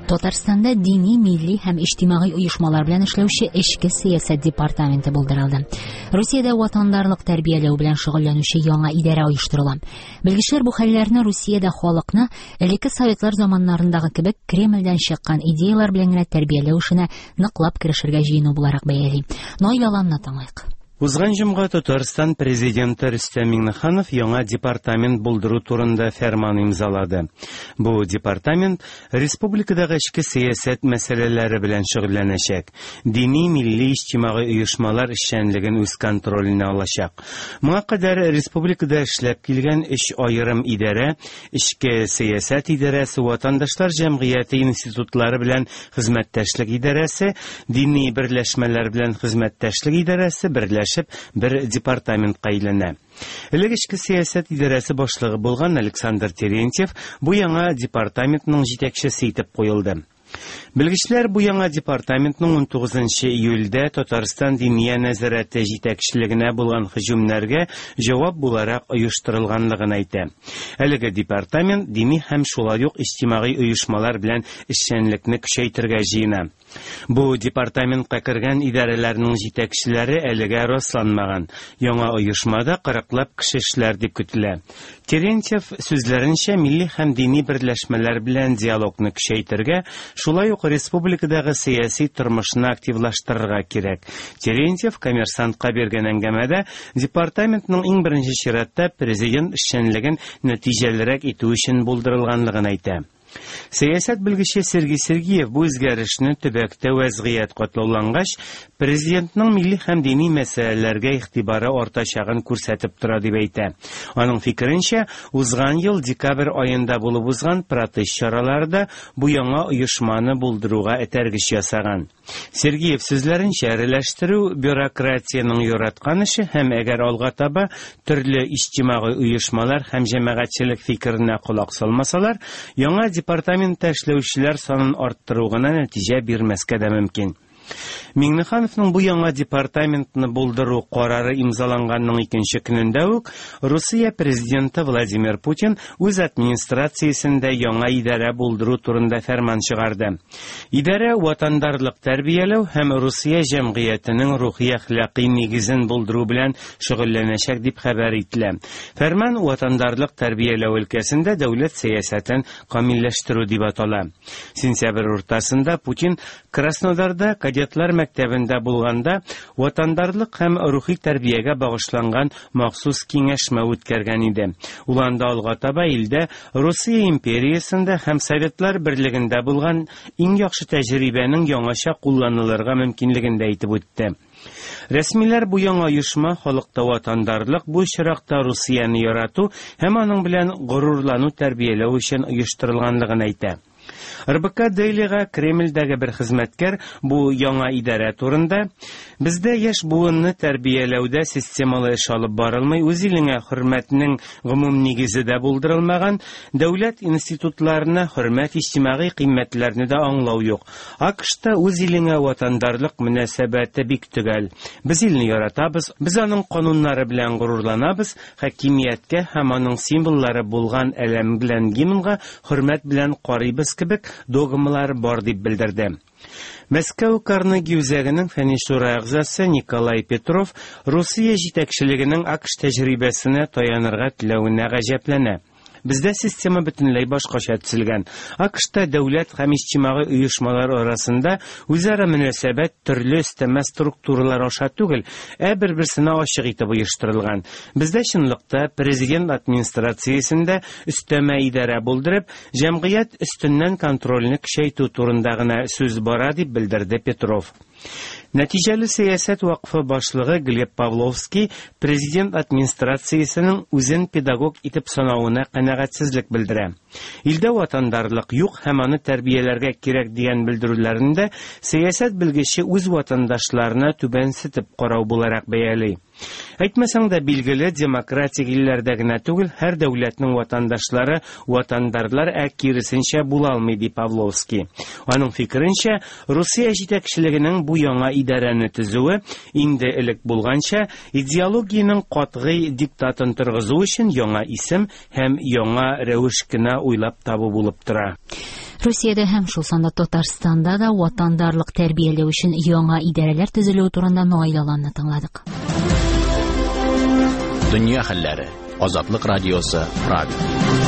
Татарстанда дини, милли һәм иҗтимагый оешмалар белән эшләүче Эчке сәясәт департаменты булдырылды. Русиядә ватандарлык тәрбияләү белән шөгыльләнүче яңа идарә оештырыла. Белгечләр бу хәлләрне Русиядә халыкны элекке советлар заманнарындагы кебек Кремльдән чыккан идеяләр белән генә тәрбияләү эшенә ныклап керешергә җыену буларак бәяли. Наил Аланны тыңлыйк. Узган җомга Татарстан Президенты Рөстәм Миңнеханов яңа департамент булдыру турында фәрман имзалады. Бу департамент республикадагы эчке сәясәт мәсьәләләре белән шөгыльләнәчәк, дини, милли, иҗтимагый оешмалар эшчәнлеген үз контроленә алачак. Моңа кадәр республикада эшләп килгән өч аерым идарә, Эчке сәясәт идарәсе, ватандашлар җәмгыяте институтлары белән хезмәттәшлек идарәсе, дини берләшмәләр белән хезмәттәшлек идарәсе берләшеп бер департаментка әйләнә. Элек эчке сәясәт идарәсе башлыгы булган Александр Терентьев бу яңа департаментның җитәкчесе итеп куелды. Белгечләр бу яңа департаментның 19 нчы июльдә Татарстан Диния нәзарәте җитәкчелегенә булган һөҗүмнәргә җавап буларак оештырылганлыгын әйтә. Әлеге департамент дини һәм шулай ук иҗтимагый оешмалар белән эшчәнлекне көчәйтергә җыена. Бу департаментка кергән идарәләрнең җитәкчеләре әлегә расланмаган. Яңа оешмада кырыклап кеше эшләр дип көтелә. Терентьев сүзләренчә, милли һәм дини берләшмәләр белән диалогны көчәйтергә, шулай ук республикадагы сәяси тормышны активлаштырырга кирәк. Терентьев Коммерсантка биргән әңгәмәдә департаментның иң беренче чиратта президент эшчәнлеген нәтиҗәлерәк итү өчен булдырылганлыгын әйтә. Сәясәт белгече Сергей Сергеев бу үзгәрешне төбәктә вәзгыять катлаулангач, президентның милли һәм дини мәсьәләләргә игътибары артачагын күрсәтеп тора дип әйтә. Аның фикеренчә, узган ел декабрь аенда булып узган протест чаралары да бу яңа оешманы булдыруга этәргеч ясаган. Сергеев сүзләренчә, эреләштерү, бюрократиянең яраткан эше һәм әгәр алга таба төрле иҗтимагый оешмалар һәм җәмәгатьчелек фикеренә колак салмасалар, яңа департаментта эшләүчеләр санын арттыру гына нәтиҗә бирмәскә дә мөмкин. Миңнехановның бу яңа департаментны булдыру карары имзаланганның икенче көнендә үк Русия президенты Владимир Путин үз администрациясендә яңа идарә булдыру турында фәрман чыгарды. Идарә ватандарлык тәрбияләү һәм Русия җәмгыятенең рухи-әхлакый нигезен булдыру белән шөгыльләнәчәк дип хәбәр ителә. Фәрман ватандарлык тәрбияләү өлкәсендә дәүләт сәясәтен камилләштерү дип атала. Сентябрь уртасында Путин Краснодарда кадетлар мәктәбендә булганда ватандарлык һәм рухи тәрбиягә багышланган махсус киңәшмә үткәргән иде. Ул анда алга таба илдә Русия империясендә һәм Советлар Берлегендә булган иң яхшы тәҗрибәнең яңача кулланылырга мөмкинлеген дә әйтеп үтте. Рәсмиләр бу яңа оешма халыкта ватандарлык, бу очракта Русияне ярату һәм аның белән горурлану тәрбияләү өчен оештырылганлыгын әйтә. РБК Дейлига Кремльдәге бер хезмәткәр бу яңа идарә турында, Бездә яшь буынны тәрбияләүдә системалы эш алып барылмый, үз илеңә хөрмәтнең гомум нигезе дә булдырылмаган, дәүләт институтларына хөрмәт, иҗтимагый кыйммәтләрне дә аңлау юк. АКШта үз илеңә ватандарлык мөнәсәбәте бик төгәл. Без илне яратабыз, без аның кануннары белән горурланабыз, хакимияткә һәм аның символлары булган әләм белән гимнга хөрмәт белән карыйбыз кебек догмалар бар, дип белдерде. Мәскәү Карнеги үзәгенең фәнни шура әгъзасы Николай Петров Русия җитәкчелегенең АКШ тәҗрибәсенә таянырга теләвенә гаҗәпләнә. Бездә система бөтенләй башкача төзелгән. АКШта дәүләт һәм иҗтимагый оешмалар арасында үзара мөнәсәбәт төрле өстәмә структуралар аша түгел, ә бер-берсенә ачык итеп оештырылган. Бездә чынлыкта президент администрациясендә өстәмә идарә булдырып, җәмгыять өстеннән контрольне көчәйтү турында гына сүз бара, дип белдерде Петров. Нәтиҗәле сәясәт вакфы башлыгы Глеб Павловский президент администрациясенең үзен педагог итеп санавына канәгатьсезлек белдерә. Илдә ватандарлык юк һәм аны тәрбияләргә кирәк дигән белдерүләрен дә сәясәт белгече үз ватандашларына түбәнсетеп карау буларак бәяли. Әйтмәсәң дә, билгеле, демократик илләрдә генә түгел, һәр дәүләтнең ватандашлары ватандарлар, ә киресенчә була алмый, ди Павловский. Аның фикеренчә, Русия җитәкчелегенең бу яңа идарәне төзүе, инде элек булганча, идеологиянең катгый диктатын торгызу өчен яңа исем һәм яңа рәвеш кенә уйлап табу булып тора. Русиядә һәм шул санда Татарстанда да ватандарлык тәрбияләү өчен яңа идарәләр төзелүе турында Наил Аланны тыңладык. Дөнья хәлләре. Азатлык радиосы, Прага.